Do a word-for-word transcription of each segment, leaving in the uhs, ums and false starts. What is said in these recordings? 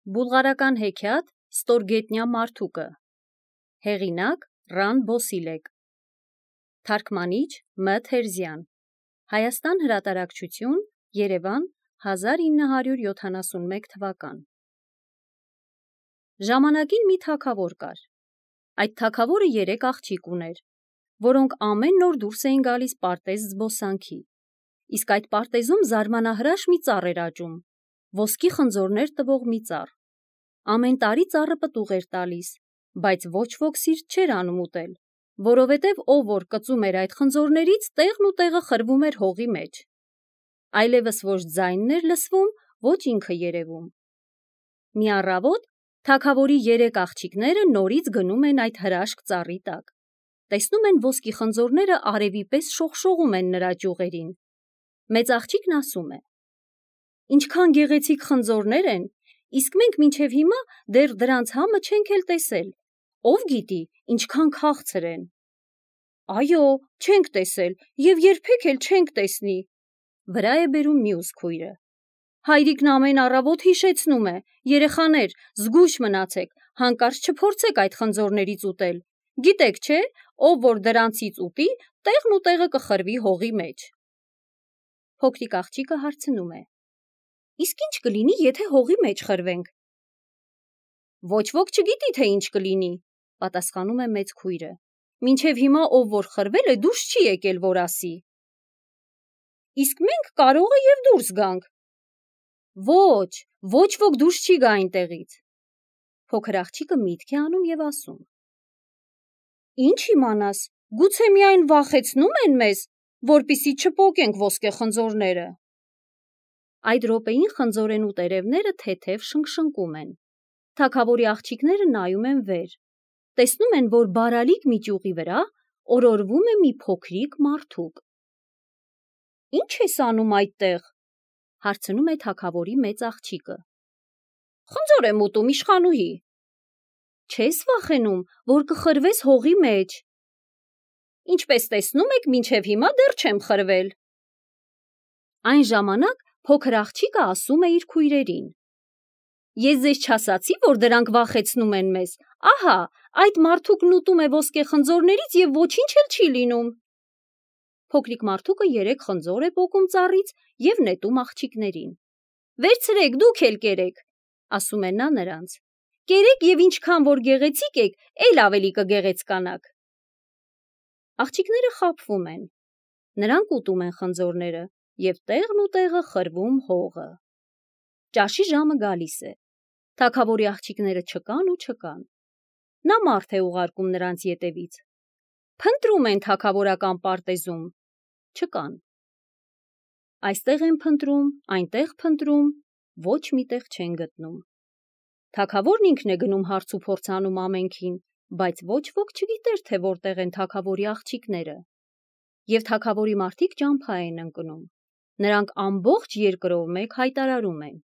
Բուլղարական հեքիաթ Ստորգետնյա մարդուկը։ Հեղինակ Ռան Բոսիլեկ։ Թարգմանիչ Մ. Թերզյան։ Հայաստան հրատարակչություն, Երևան, հազար ինը հարյուր յոթանասունմեկ թվական։ Ժամանակին մի թագավոր կար։ Այդ թագավորը երեք աղջիկ ուներ, որոնք ամեն նոր դուրս էին գալիս պարտեզ զբոսանքի։ Իսկ այդ պարտեզում զարմանահրաշ մի ծառ էր աճում, ոսկի խնձորներ տվող մի ծառ։ Ամեն տարի ծառը պտուղ էր տալիս, բայց ոչ ոք սիրտ չէր անում ուտել, որովհետև ով որ կծում էր այդ խնձորներից, տեղն ու տեղը խրվում էր հողի մեջ։ Այլևս ոչ ձայնն էր լսվում, ոչ ինքը երևում։ Մի առավոտ թագավորի երեք աղջիկները նորից գնում են այդ հրաշք ծառի տակ։ Տեսնում են ոսկի խնձորները արևի պես շողշողում են նրա ճյուղերին։ Մեծ աղջիկն ասում է. «Ինչքան գեղեցիկ խնձորներ են, իսկ մենք մինչև հիմա դեռ դրանց համը չենք էլ տեսել, ով գիտի, ինչքան քաղցր են»։ «Այո, չենք տեսել և երբեք էլ չենք տեսնի», վրա է բերում մյուս քույրը։ «Հայրիկն ամեն առավոտ հիշեցնում է. երեխաներ, զգույշ մնացեք, հանկարծ չփորձեք այդ խնձորներից ուտել, գիտեք չէ, ով որ դրանցից ուտի, տեղն ու տեղը կխրվի հողի մեջ»։ Փոքրիկ աղջիկը հարցնում է. «Իսկ ինչ կլինի, եթե հողի մեջ խրվենք»։ «Ոչ ոք չգիտի, թե ինչ կլինի», պատասխանում է մեծ քույրը։ «Մինչև հիմա ով որ խրվել է, դուրս չի եկել, որ ասի»։ «Իսկ մենք կարող է և դուրս գանք»։ «Ոչ, ոչ ոք դուրս չի գա այնտեղից»։ Փոքր աղջիկը միտք է անում և ասում. «Ինչ իմանաս, գուցե միայն վախեցնում են մեզ, որպեսզի չպոկենք ոսկե խնձորները»։ Այդ րոպեին խնձորենու տերևները թեթև շնգշնկում են։ Թագավորի աղջիկները նայում են վեր, տեսնում են, որ բարալիկ մի ճյուղի վրա օրորվում է մի փոքրիկ մարդուկ։ «Ի՞նչ ես անում այդտեղ», հարցնում է թագավորի մեծ աղջիկը։ «Խնձոր եմ ուտում, իշխանուհի»։ «Չես վախենում, որ կխրվես հողի մեջ»։ «Ինչպես տեսնում եք, մինչև հիմա դեռ չեմ խրվել»։ Այն ժամանակ փոքր աղջիկը ասում է իր քույրերին. «Ես ձեզ չասացի, որ դրանք վախեցնում են մեզ, ահա, այդ մարդուկն ուտում է ոսկե խնձորներից և ոչինչ էլ չի լինում»։ Փոքրիկ մարդուկը երեք խնձոր է պոկում ծառից և նետում աղջիկներին։ «Վերցրեք, դուք էլ կերեք», ասում է նա նրանց։ «Կերեք և ինչքան որ գեղեցիկ եք, էլ ավելի կգեղեցկանաք»։ Աղջիկները խաբվում են։ Նրանք ուտում են խնձորները և տեղն ու տեղը խրվում հողը։ Ճաշի ժամը գալիս է։ Թագավորի աղջիկները չկան ու չկան։ Նա մարդ է ուղարկում նրանց ետևից։ Փնտրում են թագավորական պարտեզում։ Չկան։ Այստեղ են փնտրում, այնտեղ փնտրում, ոչ մի տեղ չեն գտնում։ Թագավորն ինքն է գնում հարց ու փորձ անում ամենքին, բայց ոչ ոք չգիտեր, թե որտեղ են թագավորի աղջիկները։ Եվ թագավորի մարդիկ ճամփա են ընկնում։ Նրանք ամբողջ երկրով մեկ հայտարարում են.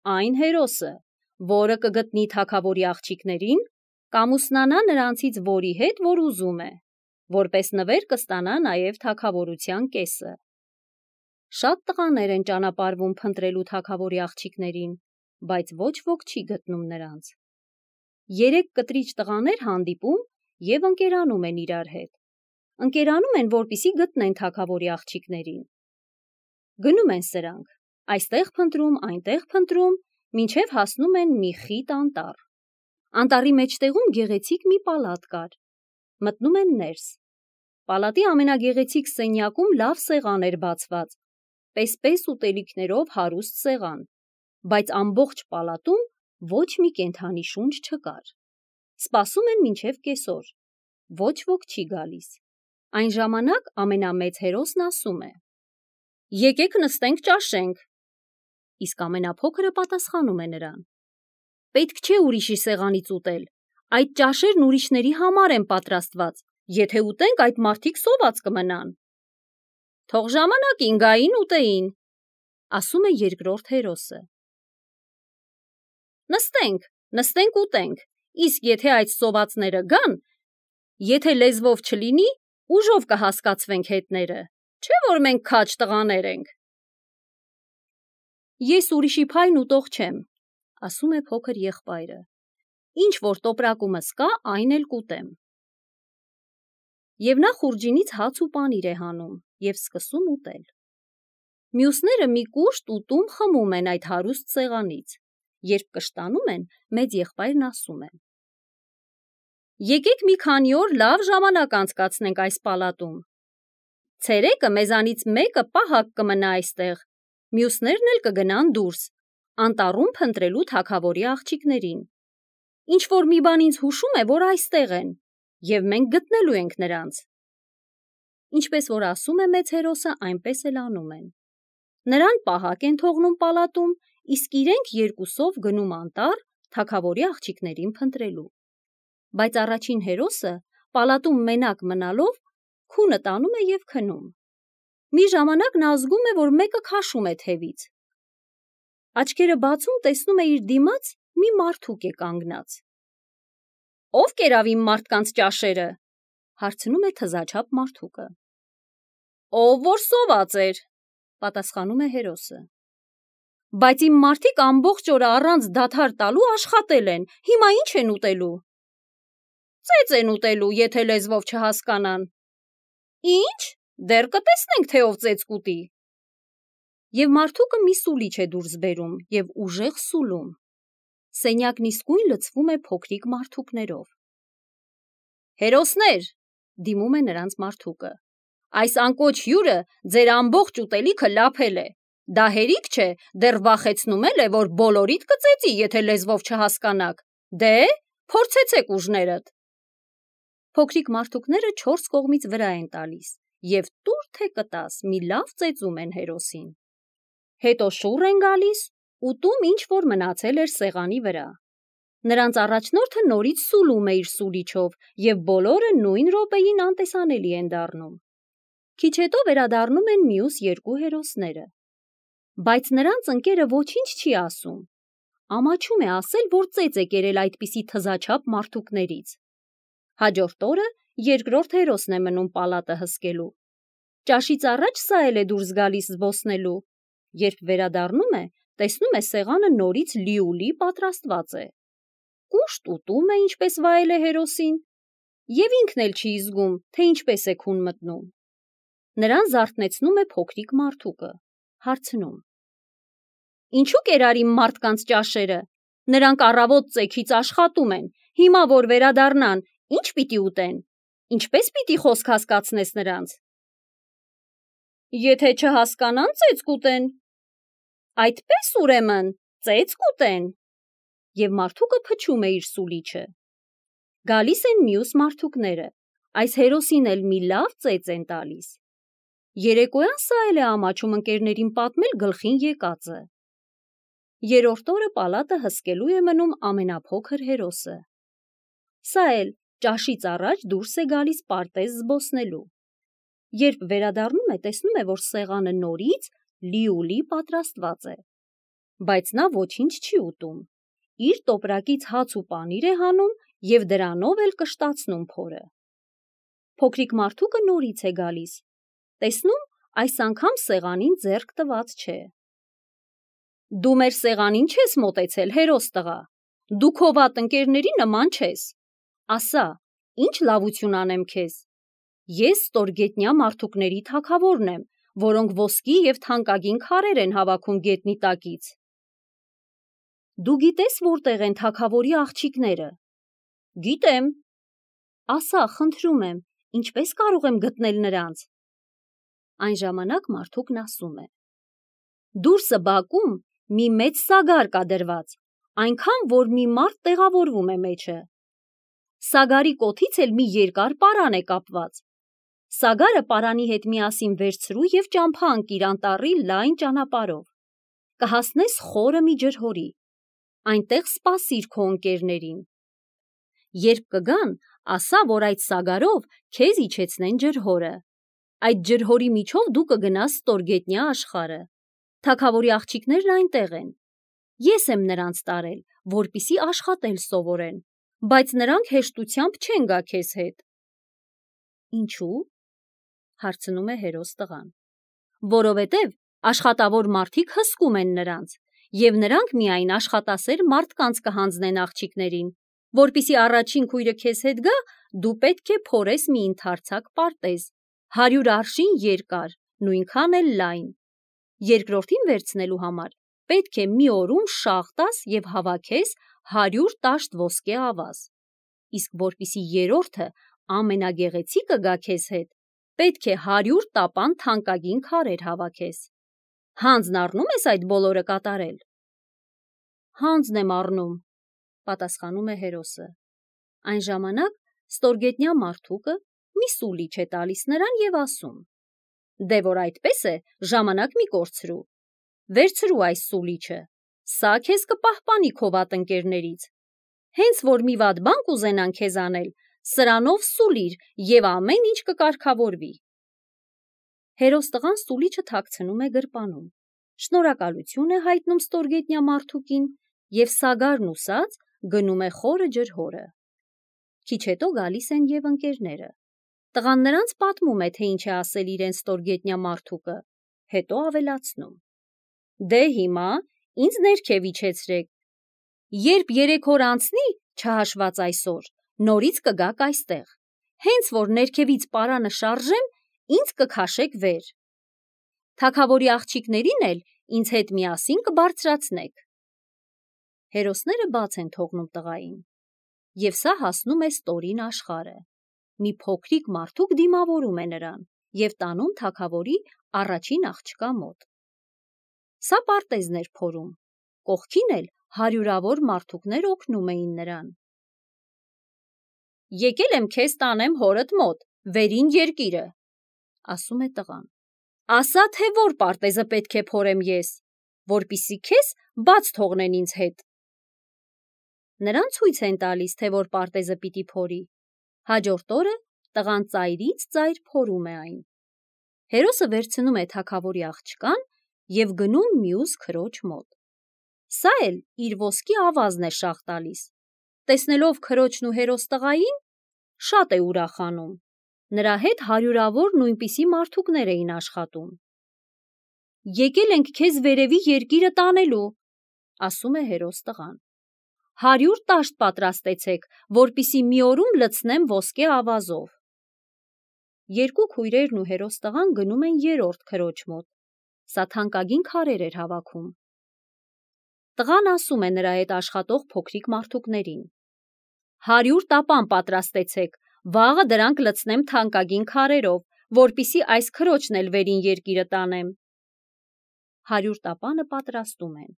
«Այն հերոսը, որը կգտնի թագավորի աղջիկներին, կամուսնանա նրանցից որի հետ, որ ուզում է, որպես նվեր կստանա նաև թագավորության կեսը»։ Շատ տղաներ են ճանապարհվում փնտրելու թագավորի աղջիկներին, բայց ոչ ոք չի գտնում նրանց։ Երեք կտրիչ տղաներ հանդիպում և ընկերանում են իրար հետ։ Ընկերանում են, որպեսզի գտնեն թագավորի աղջիկներին։ Գնում են սրանք, այստեղ փնտրում, այնտեղ փնտրում, մինչև հասնում են մի խիտ անտառ։ Անտառի մեջտեղում գեղեցիկ մի պալատ կար։ Մտնում են ներս։ Պալատի ամենագեղեցիկ սենյակում լավ սեղան էր բացված, պես-պես ուտելիքներով հարուստ սեղան, բայց ամբողջ պալատում ոչ մի կենդանի շունչ չկար։ Սպասում են մինչև կեսօր։ Ոչ ոք չի գալիս։ Այն ժամանակ ամենամեծ հերոսն ասում է. «Եկեք նստենք ճաշենք»։ Իսկ ամենափոքրը պատասխանում է նրան. «Պետք չէ ուրիշի սեղանից ուտել, այդ ճաշերն ուրիշների համար են պատրաստված, եթե ուտենք, այդ մարդիկ սոված կմնան»։ «Թող ժամանակին գային, ուտեին», ասում է երկրորդ հերոսը։ «Նստենք, նստենք ուտենք, իսկ եթե այդ սովածները գան, եթե լեզվով չլինի, ուժով կհասկացվենք հետները, չէ՞ որ մենք քաջ տղաներ ենք»։ «Ես ուրիշի փայն ուտող չեմ», ասում է փոքր եղբայրը։ Ինչ որ տոպրակումս կա, այն էլ կուտեմ։ Եվ նա խուրջինից հաց ու պանիր է հանում և սկսում ուտել։ Մյուսները մի կուշտ ուտում խմում են այդ հարուստ սեղանից, երբ կշտանում են, մեծ եղբայրն ասում է. Եկեք մի քանի օր լավ ժամանակ անցկացնենք այս պալատում։ Ցերեկը մեզանից մեկը պահակ կմնա այստեղ, մյուսներն էլ կգնան դուրս, անտառում փնտրելու թագավորի աղջիկներին։ Ինչ որ մի բան ինձ հուշում է, որ այստեղ են, և մենք գտնելու ենք նրանց։ Ինչպես որ ասում է մեծ հերոսը, այնպես էլ անում են։ Նրան պահակ են թողնում պալատում, իսկ իրենք երկուսով գնում անտառ թագավորի աղջիկներին փնտրելու։ Բայց առաջին հերոսը պալատում մենակ մնալով քունը տանում է և քնում։ Մի ժամանակ նա զգում է, որ մեկը քաշում է թևից։ Աչքերը բացում տեսնում է իր դիմաց մի մարդուկ է կանգնած։ Ո՞վ կերավ իմ մարդկանց ճաշերը, հարցնում է թզաչափ մարդուկը։ Ով որ սոված էր, պատասխանում է հերոսը։ Բայց իմ մարդիկ ամբողջ օրը առանց դադար տալու աշխատել են, հիմա ինչ են ուտելու։ Ծեծ են ուտելու, եթե լեզվով չհասկանան։ Ինչ, դեռ կտեսնենք, թե ով ծեծ կուտի։ Եվ մարդուկը մի սուլիչ է դուրս բերում և ուժեղ սուլում։ Սենյակն իսկույն լցվում է փոքրիկ մարդուկներով։ Հերոսներ, դիմում է նրանց մարդուկը, այս անկոչ հյուրը ձեր ամբողջ ուտելիքը լափել է։ Դա հերիք չէ, դեռ վախեցնում էլ է, որ բոլորիդ կծեծի, եթե լեզվով չհասկանաք։ Դե, փորձեցեք ուժներդ։ Փոքրիկ մարդուկները չորս կողմից վրա են տալիս և տուր թե կտաս մի լավ ծեծում են հերոսին։ Հետո շուռ են գալիս, ուտում ինչ որ մնացել էր սեղանի վրա։ Նրանց առաջնորդը նորից սուլում է իր սուլիչով և բոլորը նույն րոպեին անտեսանելի են դառնում։ Քիչ հետո վերադառնում են մյուս երկու հերոսները։ Բայց նրանց ընկերը ոչինչ չի ասում։ Ամաչում է ասել, որ ծեծ է կերել այդպիսի թզաչափ մարդուկներից։ Հաջորդ օրը երկրորդ հերոսն է մնում պալատը հսկելու։ Ճաշից առաջ սա էլ է դուրս գալիս զբոսնելու։ Երբ վերադառնում է, տեսնում է սեղանը նորից լիուլի պատրաստված է։ Կուշտ ուտում է, ինչպես վայել է հերոսին, և ինքն էլ չի զգում, թե ինչպես է քուն մտնում։ Նրան զարթնեցնում է փոքրիկ մարդուկը, հարցնում. Ինչու կերար իմ մարդկանց ճաշերը։ Նրանք առավոտ ծեքից աշխատում են, հիմա որ վերադառնան, ինչ պիտի ուտեն։ Ինչպես պիտի խոսք հասկացնես նրանց։ Եթե չհասկանան, ծեծ կուտեն։ Այդպես ուրեմն, ծեծ կուտեն։ Եվ մարդուկը փչում է իր սուլիչը։ Գալիս են մյուս մարդուկները, այս հերոսին էլ մի լավ ծեծ են տալիս։ Երեկոյան սա էլ է ամաչում ընկերներին պատմել գլխին եկածը։ Երրորդ օրը պալատը հսկելու է մնում ամենափոքր հերոսը։ Սա էլ ճաշից առաջ դուրս է գալիս պարտեզ զբոսնելու։ Երբ վերադառնում է, տեսնում է, որ սեղանը նորից լիուլի պատրաստված է։ Բայց նա ոչինչ չի ուտում։ Իր տոպրակից հաց ու պանիր է հանում և դրանով էլ կշտացնում փորը։ Փոքրիկ մարդուկը նորից է գալիս։ Տեսնում, այս անգամ սեղանին ձեռք տված չէ։ Դու մեր սեղանին չես մոտեցել, հերոս տղա։ Դու քո վատ ընկերների նման չես։ Ասա, ինչ լավություն անեմ քեզ։ Ես ստորգետնյա մարդուկների թագավորն եմ, որոնք ոսկի և թանկագին քարեր են հավաքում գետնի տակից։ Դու գիտես որտեղ են թագավորի աղջիկները։ Գիտեմ։ Ասա, խնդրում եմ, ինչպես կարող եմ գտնել նրանց։ Այն ժամանակ մարդուկն ասում է. Դուրսը բակում մի մեծ սագար կա դրված, այնքան, որ մի մարդ տեղավորվում է մեջը։ Սագարի կոթից էլ մի երկար պարան է կապված։ Սագարը պարանի հետ միասին վերցրու և ճամփա ընկիր անտառի լայն ճանապարհով։ Կհասնես խորը մի ջրհորի։ Այնտեղ սպասիր քո ընկերներին։ Երբ կգան, ասա, որ այդ սագարով քեզ իջեցնեն ջրհորը։ Այդ ջրհորի միջով դու կգնաս ստորգետնյա աշխարհը։ Թագավորի աղջիկներն այնտեղ են։ Ես եմ նրանց տարել, որպեսզի աշխատել սովորեն, բայց նրանք հեշտությամբ չեն գա քեզ հետ։ Ինչու՞, հարցնում է հերոս տղան։ Որովհետև աշխատավոր մարդիկ հսկում են նրանց, եւ նրանք միայն աշխատասեր մարդկանց կհանձնեն աղջիկներին, որպիսի առաջին քույրը քեզ հետ գա, դու պետք է փորես մի ընդարձակ պարտեզ, հարյուր արշին երկար, նույնքան էլ լայն։ Երկրորդին վերցնելու համար պետք է մի օրում շաղ տաս եւ հավաքես հարյուր տաշտ ոսկե ավազ, իսկ որպիսի երրորդը ամենագեղեցիկը գա քեզ հետ, պետք է հարյուր տապան թանկագին քարեր հավաքես։ Հանձն առնու՞մ ես այդ բոլորը կատարել։ Հանձն եմ առնում, պատասխանում է հերոսը։ Այն ժամանակ ստորգետնյա մարդուկը մի սուլիչ է տալիս նրան եւ ասում. Դե որ այդպես է, ժամանակ մի կորցրու։ Վերցրու այս սուլիչը, սա քեզ կպահպանի քո վատ ընկերներից։ Հենց որ մի վատ բան կուզենան քեզ անել, սրանով սուլիր եւ ամեն ինչ կկարգավորվի։ Հերոս տղան սուլիչը թաքցնում է գրպանում, շնորհակալություն է հայտնում ստորգետնյա մարդուկին եւ սագարն ուսած գնում է խորը ջրհորը։ Քիչ հետո գալիս են եւ ընկերները։ Տղան նրանց պատմում է, թե ինչ է ասել իրեն ստորգետնյա մարդուկը, հետո ավելացնում. Դե հիմա ինձ ներքև իջեցրեք։ Երբ երեք օր անցնի, չհաշված այսօր, նորից կգաք այստեղ։ Հենց որ ներքևից պարանը շարժեմ, ինձ կքաշեք վեր։ Թագավորի աղջիկներին էլ ինձ հետ միասին կբարձրացնեք։ Հերոսները բաց են թողնում տղային, եւ սա հասնում է ստորին աշխարհը։ Մի փոքրիկ մարդուկ դիմավորում է նրան եւ տանում թագավորի առաջին աղջկա մոտ։ Սա պարտեզն էր փորում, կողքին էլ հարյուրավոր մարդուկներ օգնում էին նրան։ Եկել եմ քեզ տանեմ հորդ մոտ, վերին երկիրը, ասում է տղան։ Ասա, թե որ պարտեզը պետք է փորեմ ես, որպիսի քեզ բաց թողնեն ինձ հետ։ Նրան ցույց են տալիս, թե որ պարտեզը պիտի փորի։ Հաջորդ օրը տղան ծայրից ծայր փորում է այն։ Հերոսը վերցնում է թագավորի աղջկան եւ գնում մյուս քրոջ մոտ։ Սա էլ իր ոսկի ավազն է շաղ տալիս։ Տեսնելով քրոջն ու հերոս տղային, շատ է ուրախանում։ Նրա հետ հարյուրավոր նույնպիսի մարդուկներ էին աշխատում։ Եկել ենք քեզ վերևի երկիրը տանելու, ասում է հերոս տղան։ Հարյուր տաշտ պատրաստեցեք, որպիսի մի օրում լցնեմ ոսկե ավազով։ Երկու քույրերն ու հերոս տղան գնում են երրորդ քրոջ մոտ։ Սա թանկագին քարեր էր հավաքում։ Տղան ասում է նրա հետ աշխատող փոքրիկ մարդուկներին. Հարյուր տապան պատրաստեցեք, վաղը դրանք լցնեմ թանկագին քարերով, որպիսի այս քրոջն էլ վերին երկիրը տանեմ։ Հարյուր տապանը պատրաստում են։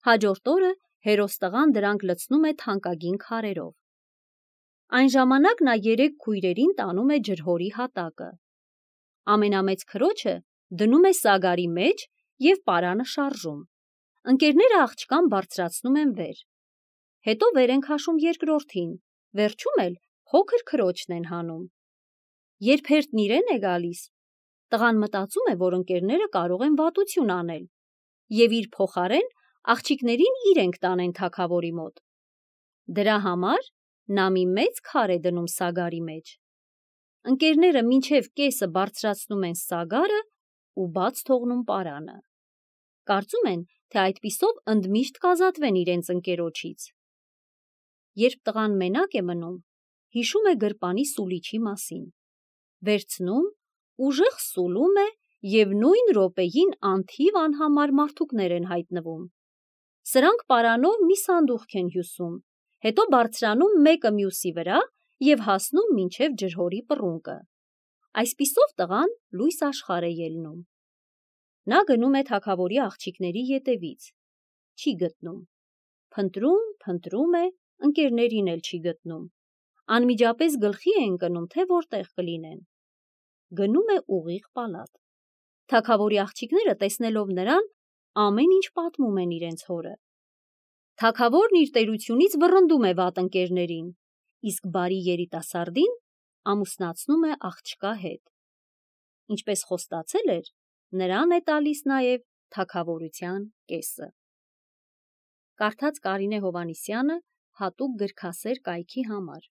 Հաջորդ օրը հերոս տղան դրանք լցնում է թանկագին քարերով։ Այն ժամանակ նա երեք քույրերին տանում է ջրհորի հատակը։ Ամենամեծ քրոջը դնում է սագարի մեջ եւ պարանը շարժում։ Ընկերները աղջկան բարձրացնում են վեր։ Հետո վեր են քաշում երկրորդին, վերջում էլ փոքր քրոջն են հանում։ Երբ հերթն իրեն է գալիս, տղան մտածում է, որ ընկերները կարող են վատություն անել եւ իր փոխարեն աղջիկներին իրենք տանեն թագավորի մոտ։ Դրա համար նա մի մեծ քար է դնում սագարի մեջ։ Ընկերները մինչև կեսը բարձրացնում են սագարը ու բաց թողնում պարանը։ Կարծում են, թե այդպիսով ընդմիշտ կազատվեն իրենց ընկերոջից։ Երբ տղան մենակ է մնում, հիշում է գրպանի սուլիչի մասին։ Վերցնում, ուժեղ սուլում է եւ նույն րոպեին անթիվ անհամար մարդուկներ են հայտնվում։ Սրանք պարանով մի սանդուղք են հյուսում, հետո բարձրանում մեկը մյուսի վրա եւ հասնում մինչև ջրհորի պռունկը։ Այսպիսով տղան լույս աշխարհ է ելնում։ Նա գնում է թագավորի աղջիկների ետևից։ Չի գտնում։ Փնտրում, փնտրում է, ընկերներին էլ չի գտնում։ Անմիջապես գլխի է ընկնում, թե որտեղ կլինեն։ Գնում է ուղիղ պալատ։ Թագավորի աղջիկները տեսնելով նրան, ամեն ինչ պատմում են իրենց հորը։ Թագավորն իր տերությունից վռնդում է վատ ընկերներին, իսկ բարի երիտասարդին ամուսնացնում է աղջկա հետ։ Ինչպես խոստացել էր, նրան է տալիս նաև թագավորության կեսը։ Կարդաց Կարինե Հովհաննիսյանը հատուկ գրքասեր կայքի համար։